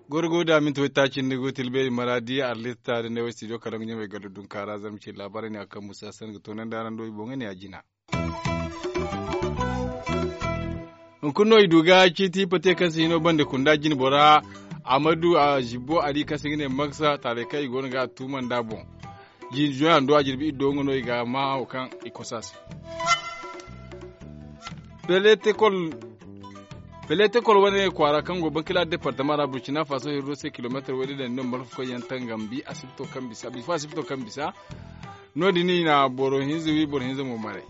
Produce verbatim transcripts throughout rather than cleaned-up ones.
Gorgo da minti wayta cindi go tilbeeri maraadi arlista da ne way studio karaŋ ga ɲamay galo dunkaara zama ci laabaarey ne a kaŋ musa san ga toonandi araŋ do i boŋey ne a jina. Hunkuna no i du ga ciiti pate kaŋ se hino bande kunda jine bora amadu a zibbo ali kaŋ se ga ne maksa taaray kaŋ i go no ga a tuumanda boŋ. Jine zoyando a jirbi iddo nga no i ga ma hawo kaŋ i kosa se. Peletekol wane kwaara kaŋ go bankila departama ra burcina faso hirro se kilomeetar wayde daŋ no malfakoy yaŋ tangambi asibito kaŋ bisa bifo asibito kaŋ bisa. No- din i na boro hinza wi boro hinza mo maray.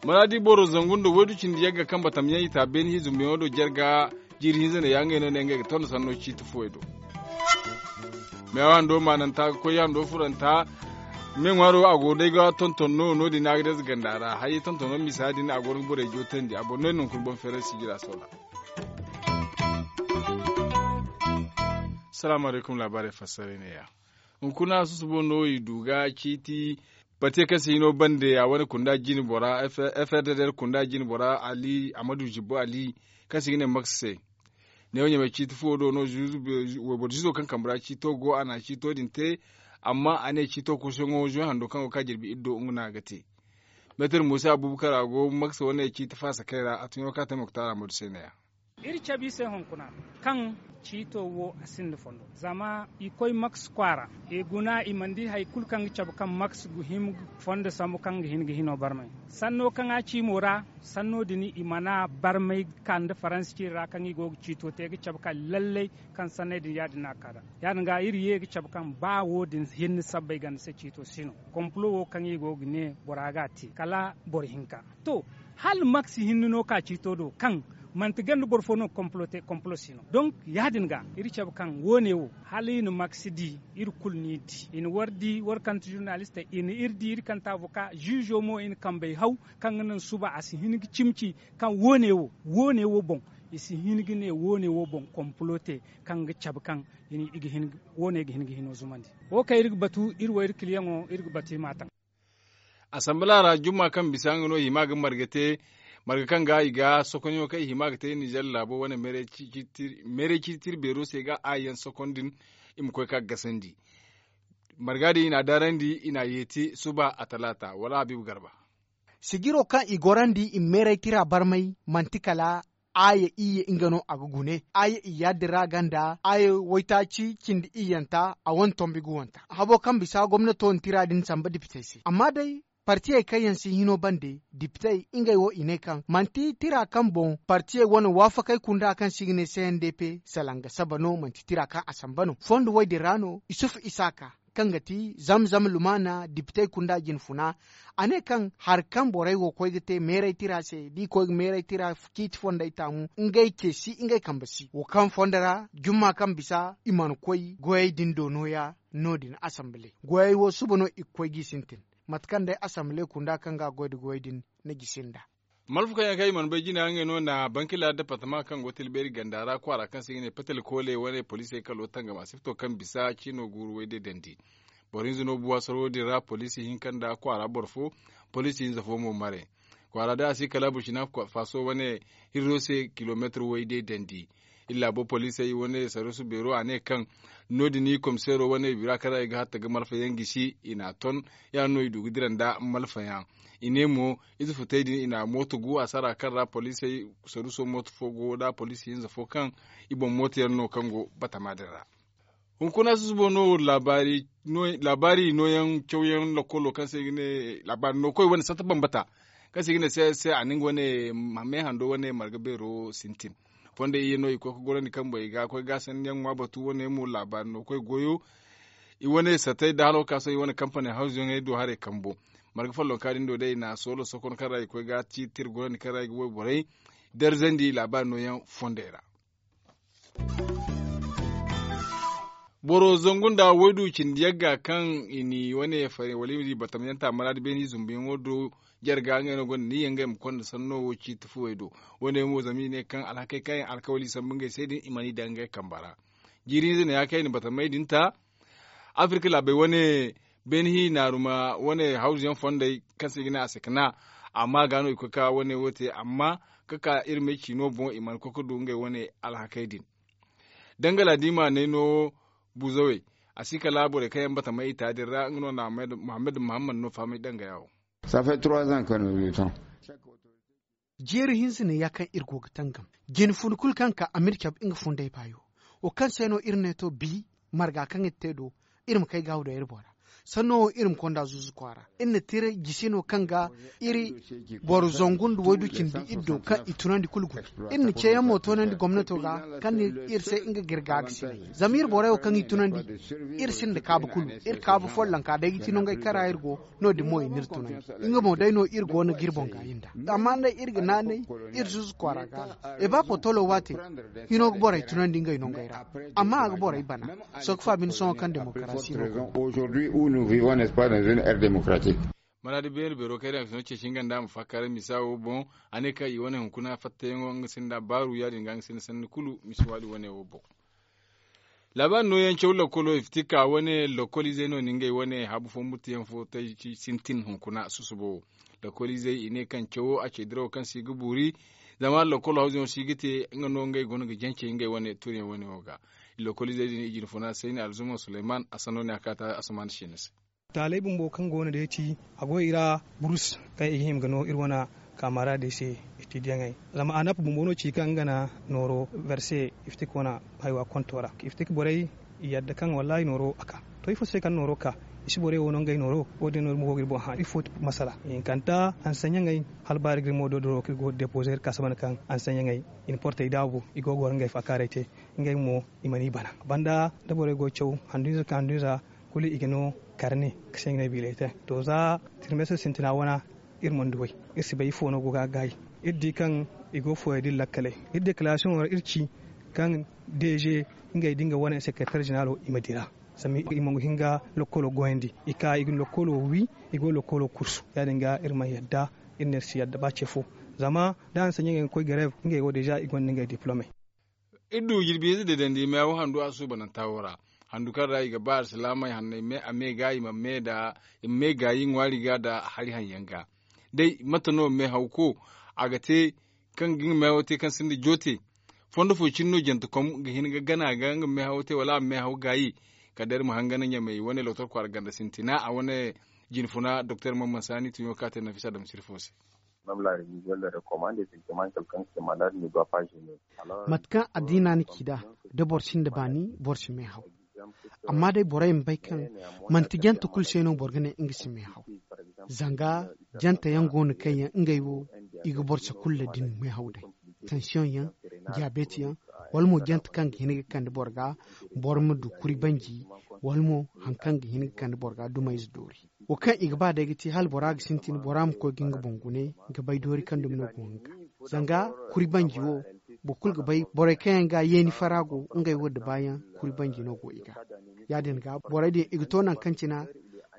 Maraadi boro zangu nda waydu cindi yagga kaŋ batam yaŋ i ta beeni hiizumbiyaŋo do jarga. Jiiri hinza ne ya ngey no ne ngey ga tonda sanno ciiti fuwey do. Meewa hando maananta ga koy hando furanta. Me ŋwaaro a go day ga tonton no no- din a ga day za ganda ra hayey tontono misa din a go no ga borey jootandi a boro no ay no hunkuna boŋ feeray sijira soola. Salaamu alaykum laabaarey fassaray ne- ya. Hunkuna susubo no i du ga ciiti. Pate kaŋ se hino bande a wane kunda jine bora frdr kunda jine bora ali amadu zibbo ali kaŋ se i ga ne maks se. Ne wo ɲamay ciiti fuwo do no wayboro zizo kaŋ kambe ra ciito go a na ciito din te. Amma a ne ciito kuusuyaŋo zuwa hando kaŋ go ga ka jirbi iddo nga no a ga te. Meetar musa abubakar a go maks wane ciiti faasa kay ra a tuɲo kaŋ a te moktaara madu se ne- ya. Iri cabe i se hunkuna kaŋ ciito wo a sinda fondo zama i koy maks kwaara i guna i mana di hari kulu kaŋ ga cabe kaŋ maks ga hima fondo sambu kaŋ ga hin ga hino barmay. Sanno kaŋ a ci mo ra sanno din i mana barmay ka nda faransi ciiri ra kaŋ i go ga ciito te ga cabe kaŋ lallay kaŋ sanney din ya- din no a ga ka nd'a. Ya- din ga iri ye ga cabe kaŋ ba wo- din hinne sabbay ganda se ciito si no. Kompolo wo kaŋ i go ga ne bora ga a te kala boro hinka. To, hala maks hinne no ka ciito do kaŋ manti ganda boro fo no ga kompolo te kompolo si no donk ya- din ga iri cabe kaŋ wo- ne wo hala i na maks di. Iri kulu no i di i na war di war kante zurnalistey i na iri di iri kante avoka ziizo mo i na kambey haw kaŋ ga naŋ suba a si hin ga cimi ci kaŋ wo- ne wo wo- ne wo boŋ i si hin ga ne wo- ne wo boŋ kompolo te kaŋ ga cabe kaŋ i ga hin ga wo- ne ga hin ga hino zumandi. Wo kaŋ iri ga batu iri wo iri kiliyaŋo iri ga batu i m'a taŋ. Asambala ra jumma kaŋ bisa nga no i hima ga marga te marga kaŋ ga i ga sokonyaŋo kaŋ i hima ga te ninzeer laabo wane meeray ciiti tira beero se ga a yaŋ sokon din. I ma koy ka gasandi marga din i n'a daarandi i n'a yeeti suba a talaata wala habiibu garba. Sijiro kaŋ i gorandi i ma meeray tira barmay manti kala aaya iyye nga no a ga gune aaya iyya din ra ganda aaya waytaaci cindi iyyanta a wane tombi ga wanta habo kaŋ bisa gomnato na tira din samba dipitey se amma day partiyey kaŋ yaŋ si hino bande dipitey ngey wo i ne kaŋ manti tira kaŋ boŋ partiyey wane waafakey kunda kaŋ se i ga ne cndp salanga saba no manti tira kaŋ a samba no fondo wey din ra no isufu isaaka kaŋ ga ti zamzam lumaana dipitey kunda jinfuna. A ne kaŋ hari kaŋ borey go koy ga te meeray tira se da i koy ga meeray tira ciiti fondey taamu ngey ce si ngey kambe si wo kaŋ fondo ra jumma kaŋ bisa i mana koy goyey din do nooya. No- din asamble goyey wo suba no i ga koy g'i sintin mate kaŋ day asamble kunda kaŋ ga a goy nda goyey din na gisi nd'a. Malfa kaŋ yaŋ kaŋ i mana bay jina ngey no na bankila departama kaŋ go tilbeeri ganda ra kwaara kaŋ se i ga ne petel koole wane poliisey kalo tangama sifto kaŋ bisa ciino guuru wayde dandi. Boro hinza no buwa soro din ra poliisi hinka nda kwaara boro fo poliisi hinza fo mo mare. Kwaara day a si kala burkina faso wane hirro se kilomeetir wayde dandi. Iri laabo poliisey wane sarusu beero a ne kaŋ no- din komiseero wane bira kaŋ ra i ga hatta ga malfayaŋ gisi i n'a ton. Ya- din no i du ga dira nda malfayaŋ. I ne mo ize futey din i na mooto gu a sara kaŋ ra poliisey saruso mooto fo go da poliisi hinza fo kaŋ i boŋ mooto yaŋ no kaŋ go batama din ra. Hunkuna susubo no laabaari nooyaŋ cawyaŋ lokolo kaŋ se i ga ne laabaari no koy wane sata bambata kaŋ se i ga ne se a na nga wane me hando wane marga beero sintin. Fondey iyye no i koy ga gorandi kambo i ga koy ga sanniyaŋ ŋwa batu wane mo laabaari no koy goyo. I wane satey da hala wo ka sohõ i wane kampaney hawzuyaŋey do haray kambo. Marga follonka din do day i na soolo sokon kaŋ ra i koy ga ciiti tirgurandi kaŋ ra i ga wayborey darzandi laabaari nooyaŋ fondey ra. Boro zangu nda waydu cindi yagga kaŋ i ni wane fari wala i ma di batamyanta maraadi beeni zumbuyaŋo do. Jarga ngey no gonda ni yaŋ ngey ma konda sanno wo ciiti fuwey do. Wane mo zama i ne kaŋ alhakey kaŋ yaŋ alkawali sambu ngey se din i mana i daŋ ngey kamba ra. Jiiri hinza ne ya kaŋ i na batamey din ta. Afirka laabey wane beene hi naaruma wane hawzu yaŋ fondey kaŋ se i ga ne a se ka na amma ga no i koy ka wane wo te amma ka ka iri may ciino boŋ i mana koy ka du ngey wane alhakey din. Dangala da i ma ne no buzawey a si kala borey kaŋ yaŋ bata may i ta din ra nga no na muhammad muhammad no fahamay dangaya wo. Jeeri hinza ne ya kaŋ iri go ga tangam jine fun kulu kaŋ ka a ma iri cabe nga fundey baayo. Wo kaŋ se no iri ne to bi marga kaŋ iri te do iri ma kay gaawu da iri bora. Sanno wo iri ma konda zuzu kwaara iri na tira jisi no kaŋ ga iri boro zangu nda waydu cindi iri do kaŋ i tunandi kulu gune. Iri na ceeyaŋ mo toonandi gomnato ga kaŋ ni iri se nga ga iri ga ga sinay zama iri borey wo kaŋ i tunandi iri sinda kaabu kulu. Iri kaabu follonka day ga ti nongey kara iri go no- din mo i n'iri tunandi. Nga mo day no iri go no ga iri boŋ gaayi nd'a. Amma day iri ga naanay iri zuzu kwaara ga no i ba potolo waate hino ga borey tunandi ngey nongey ra. Amma a ga borey bana sohõ ga faabin sohõ kaŋ demokarasi no go. Mana da beene beero kaŋ iri na fino ceeci nga nda a ma faakaaray misa wo boŋ a ne kaŋ i wane hunkuna fattayaŋo nga sinda baaru ya- din ga nga sinda sanni kulu misi waadi wane wo boŋ. Laabaari nooyaŋ caw lakkolo i fiti ka wane lakkoliizey no na ngey wane habu fo murtiyaŋ fo tay sintin hunkuna susubo wo. Lakkoliizey i ne kaŋ cawo a ce dirawo kaŋ se i ga boori zama lakkolo hawzuyaŋo se i ga te nga no ngey go no ga jancey ngey wane turiyaŋ wane wo ga. Lakkoliizey din i jinfuna sayni alzuma suleyman a sanno ne a kaata asamaana seena se. Taaley bumbo kaŋ go no day ti a go i ra burus kaŋ i ga hima ga no iri wane kaamara day se. Etidiyaŋey zama a nafa bumbo no ci kaŋ nga na nooro verse iftik wane haywa konto ra iftik borey i yadda kaŋ wallaahi nooro a ka. To ifo se kaŋ nooro ka i si borey wo no ngey nooro wo- din no iri ma go ga iri boŋ hã ifo ti masala hinkanta hanseɲaŋey hala ba iri ga iri mo dodoro kaŋ iri go ga depoze iri ka saba nda kaŋ hanseɲaŋey i na portey daabu i go ga goro ngey faakaaray te. Ngey mo i mana i bana banda da borey go ga caw handu hinza ka handu hinza kulu i ga no karne ka se ngey biiray te. To za tirmestir sintina wana iri mana duw'ey iri si bay ifo no go ga a gaayi. Iri di kaŋ i go ga fooyey da iri lakkaley iri dekarasiyoŋo ra iri ci kaŋ deeze ngey da nga wane sekeretar zeneraalo i ma dira. Zama i mana hin ga lokkolo goyandi i ka i ga lokkolo wi i go lokkolo kursu ya- din ga iri mana yadda. Iri ne iri si yadda ba ce fo zama da hanseɲaŋey ga koy gareeb ngey wo deeza i gonda ngey diplomey. Iri du jirbi hinza deedandi meehaw handu a suubananta wo ra. Handu kaŋ ra i ga ba alsilaamey hanney a me ga i ma me gaayi ŋwaari ga nda hari haŋ yaŋ ga. Day mate no meehawko a ga te kaŋ ga nga meehawo te kaŋ sinda joote? Fondo fo cine no jantekom ga hin ga gana ga nga meehawo te wala a ma meehaw gaayi? Kala day iri ma hangan ɲamey wane lokotor kwaara ganda sintina a wane jinfuna doktor mamman saani tuɲo kaŋ a te nafisa damsir fo se. Mate kaŋ addiina na ci nd'a da boro sinda baani boro si meehaw. Amma day borey ma bay kaŋ manti jante kulu se no boro ga ne nga si meehaw. Zanga jante yaŋ go no kaŋ yaŋ ngey wo i ga boro si kulu da ni meehaw day. Tansiyoŋ yaŋ, diyabeet yaŋ, wala mo jante kaŋ ga hin ga kande boro ga boro ma du kuri banji, wala mo hari kaŋ ga hin ga kande boro ga dumayze doori. Wo kaŋ i ga ba day ga ti hala bora ga sintin bora ma koy ga nga boŋ gune ga bay doori kaŋ dumi no go nga ga. Zanga kuri banji wo boro kulu ga bay borey kaŋ yaŋ ga yeeni fara go ngey wo da baayaŋ kuri banji no go i ga. Ya- din ga borey din i ga to nangu kaŋ cina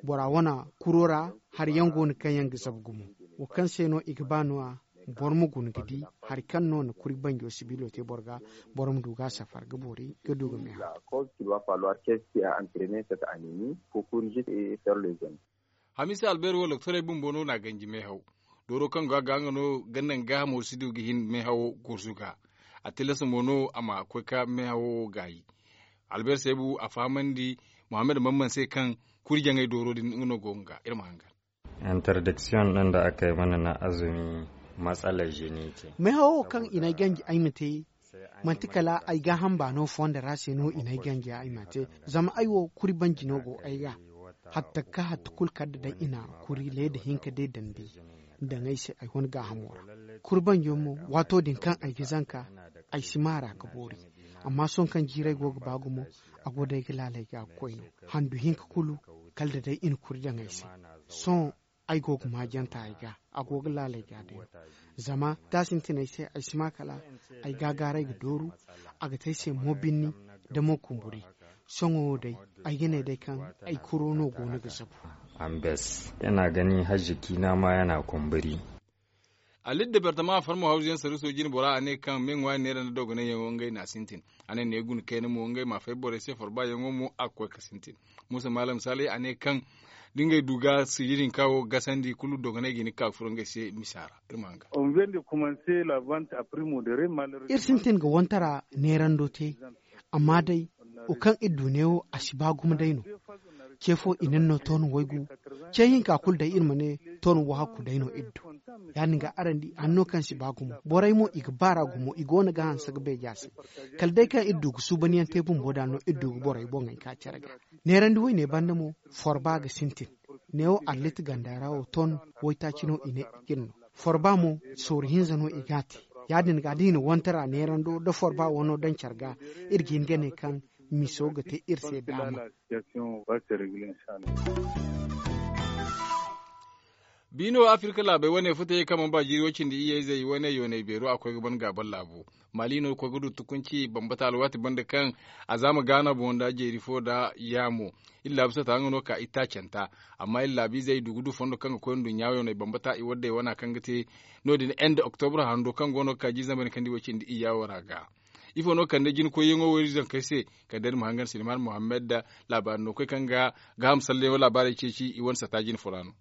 bora wane kuro ra hari yaŋ go no kaŋ yaŋ ga zabu gumo. Wo kaŋ se no i ga ba no- ya boro ma guna ga di hari kaŋ no na kuri banjo sibiilo te boro ga boro ma du ga a safar ga boori ga du ga meehaw. Hamiisa albeer wo doktorey bumbo no na ganji meehaw. Dooro kaŋ go a ga nga no ga naŋ gaahamo si du ga hin meehawo gurzu ga. A tilas mo no a ma koy ka meehawo gaayi. Albeer seebu a fahamandi muhammad mamman se kaŋ kuri jaŋay dooro din nga no go nga ga iri ma hangan. Interdiction din da aka yi mana na azumi matsalar jini ce. Meehawo kaŋ i n'ay ganji ay ma te manti kala ay gaaham baano fondo ra se no i n'ay ganji ay ma te. Zama ay wo kuri banji no go ay ga hatta ka hatta kulu kala da day i na kuri leeda hinka day dandi daŋ ay se ay wane gaahamo ra. Kuri banjo mo waato din kaŋ ay ga zanka ay si maara ga boori. Amma sohõ kaŋ jiiray go ga ba gumo a go day ga laalay ga ga koy no. Handu hinka kulu kala da day i na kuri daŋ ay se. Sohõ ay go ga maajanta ay ga a go ga laalay ga day no. Zama da a sintin ay se ay si ma kala ay gaagaaray ga dooru. A ga te ay se mo binni da mo kumburi. Sohõ wo day ay ga ne day kaŋ ay kuro no go no ga zabu. Ambes yana gani hajji kiina ma yana kumburi. Alidda bertama farmo hawzu yaŋ saruso jine bora a ne kaŋ me ŋwaari neera nda dogonay yaŋo ngey na a sintin. A ne ne guna kayna mo ngey ma fay borey se forba yaŋo mo a ga koy ga sintin. Muusa maalam saalay a ne kaŋ da ngey du ga sijir hinka wo gasandi kulu dogonay ga hin ga ka ga furo ngey se misa ra. Iri ma hanga. Iri sintin ga wantara neerando te. Amma day wo kaŋ iri du neewo a si ba gumo day no. Ce fo i na ni no ton waygu. Ce hinka kulu day iri ma ne ton wahakku day no iri du. Ya- din ga araŋ di hanno kaŋ si ba gumo borey mo i ga baara gumo i go no ga hanse ga beeja se. Kala day kaŋ iri du ga suubanyaŋ te bumbo da no iri du ga borey boŋey ka care ga. Neerandi wayne banda mo forba ga sintin. Neewo allit ganda ra wo ton waytaaci no i ne i ga iri no. Forba mo sooru hinza no i ga a te. Ya- din ga da i na wantara neerando nda forba wano daŋ care ga iri ga hin ga ne kaŋ miso ga te iri se daama. Biino afirka laabey wane futayey kaŋ mana ba jiiri way cindi iyye-izey wane yoonay beero a koy ga ban gaabal laabo. Maali no koy ga du tukunci bambata alwaati banda kaŋ a zaama gaana boŋ nda jeeri fo nda yaamo. Iri laabu sata nga no ka itaacanta. Amma iri laabu izey du ga du fondo kaŋ ga koy nduɲɲa yoonay bambata i waddey wana kaŋ ga te no- din end oktobra hando kaŋ go no ga ka jiiri zambar kaŋ di way cindi iyya wo ra ga. Ifo no kande jina koyyaŋo wo iri zankey se? Kala day iri ma hangan silman muhammad laabaari no koy kaŋ ga gaaham salleyaŋo laabaarey ceeci i wane sata jina fo ra no.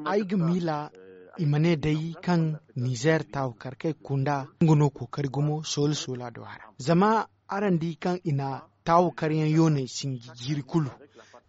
Ay ga miila i ma ne day kaŋ nizer taawu karkey kunda nga no kookari gumo soola soola do a ra. Zama araŋ di kaŋ i na taawu karyaŋ yooney sinji jiiri kulu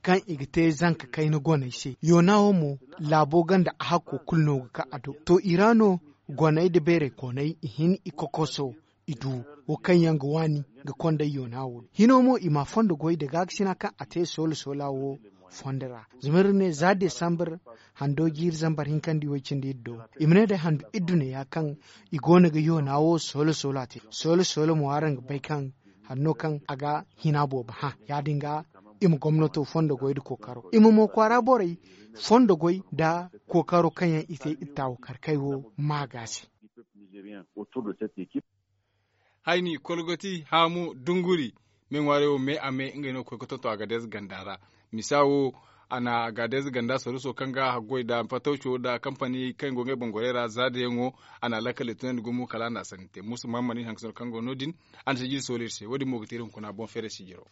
kaŋ i ga te zanka kayna goney se yoona wo mo laabo ganda a hakko kulu no ga ka a do to i ra no goney nda beeray kooney i hin i kokoso i du wo kaŋ yaŋ ga waani ga konday yoona wo do hino mo i ma fondo goy nda gaakasina kaŋ a te soola soola wo fondo ra. Zama iri ne za desambar hando jiiri zambar hinkandi way cindi iri do i ma ne day handu iri duneya kaŋ i go no ga yoona wo soola soola te soola soola mo araŋ ga bay kaŋ hanno kaŋ a ga hina boobo hã ya- din ga i ma gomnato fondo goy nda kookaro i ma mo kwaara borey fondo goy nda kookaro kaŋ yaŋ i te iri taawu karkey wo ma ga se. Hayni kolgoti haamu dunguri me ŋwaarey wo me a me ngey no ga koy ga tonton agadez ganda ra. Misa wo a na agadez ganda saruso kaŋ ga haggoy nda fatawco nda kampani kaŋ go ngey bangorey ra za da yaŋo a na lakkal i tunandi gumo kala a na a sanni te musu mahammad iri hanka sano kaŋ go no- din a na sijiri sooli iri se wo- din mo ga te iri hunkuna boŋ feeray sijiro.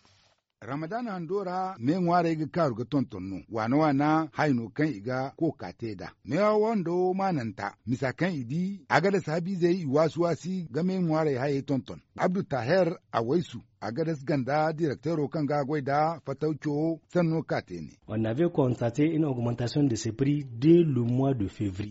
Ramadan hando ra me ŋwaarey ga kaaru ga tonton no waana waana hayo no kaŋ i ga kooka te nd'a. Meewa wando maananta misa kaŋ i di a ga dasa habiizey i waasi waasi ga me ŋwaarey hayey tonton. Abdu taher awaysu a ga dasa ganda direkteero kaŋ ga a goy nd'a fatawco sanno ka te ne.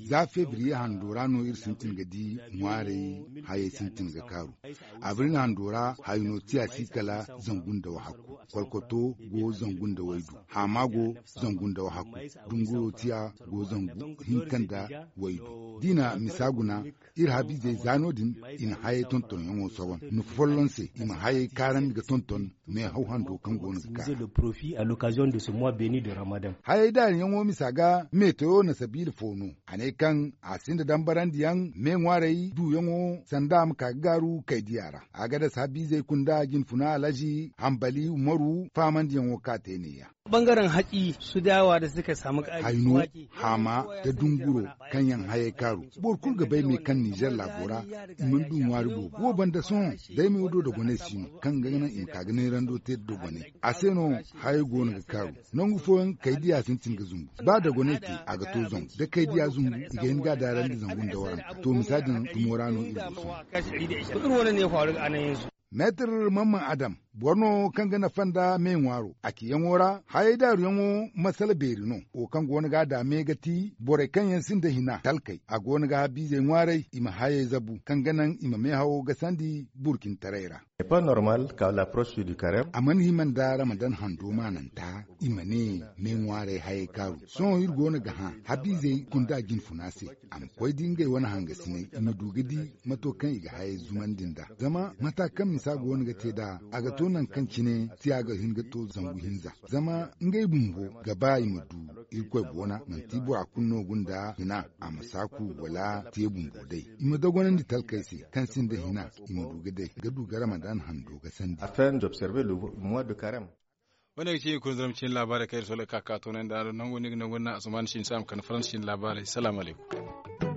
Za febriye hando ra no iri sintin ga di ŋwaarey hayey sintin ga kaaru. Abril hando ra hayo no tiya si kala zangu nda wahakku. Kolkoto go zangu nda waydu. Haama go zangu nda wahakku. Dunguro tiya go zangu hinka nda waydu da i na misa guna. Iri habiizey za no- din i na hayey tontonyaŋo sohon nufa folloŋ se i ma hayey kaarandi ga tonton meehaw hando kaŋ go no ga kaa. Hayey daariyaŋo misa ga meetoyo na sabiila fo no. A ne kaŋ a sinda dambarandiyaŋ me ŋwaarey duuyaŋo sanda a ma ka ga gaaru kaydiya ra. A ga dasa habiizey kunda jinfuna alhazi hambali umaru faamandiyaŋo ka te neeya. Hayno, haama, nda dunguro kaŋ yaŋ hayey kaaru. Boro kulu ga bay me kaŋ nizer laabo ra i mana du ŋwaari boobo wo banda sohõ. Day me wo do dogonay si no kaŋ ga naŋ i ma ka ga neerando te nda dogonay. A se no hayey go no ga kaaru. Nangu fooyaŋ kaydiya sintin ga zumbu. Ba dogonay te a ga to zangu da kaydiya zumbu i ga hin ga a daarandi zangu nda waranka to misa din dumo ra no iri go sohõ. Meetir mamman adam boro no kaŋ ga nafa nda me ŋwaaro a ciyaŋo ra hayey daaruyaŋo masala beeri no. Wo kaŋ go no ga a daame ga ti borey kaŋ yaŋ sinda hina talkey a go no ga habiizey ŋwaarey i ma hayey zabu kaŋ ga naŋ i ma meehawo gasandi burkintaray ra. A mana hima nda ramadan hando maananta i ma ne me ŋwaarey hayey kaaru. Sohõ iri go no ga hã habiizey kunda jinfuna se a ma koy di ngey wane hangasiney i ma du ga di mato kaŋ i ga hayey zumandi nd'a. Zama mata kaŋ misa go no ga te nd'a a ga to nangu kaŋ cine tiya ga hin ga to zangu hinza. Zama ngey bumbo ga ba i ma du irkoy boona manti bora kulu no gunda hina a ma saaku wala te bumbo day. I ma dogonandi talkey se kaŋ sinda hina i ma du ga day ga du ga ramadan hando ga sandi. Wane ga ci iri kunzuram cin laabaarey kaŋ iri sooley ka ka toonandi araŋ do nango no iri ga nangu nda asuman cin saama kande faransa cin laabaarey salaamu alaykum.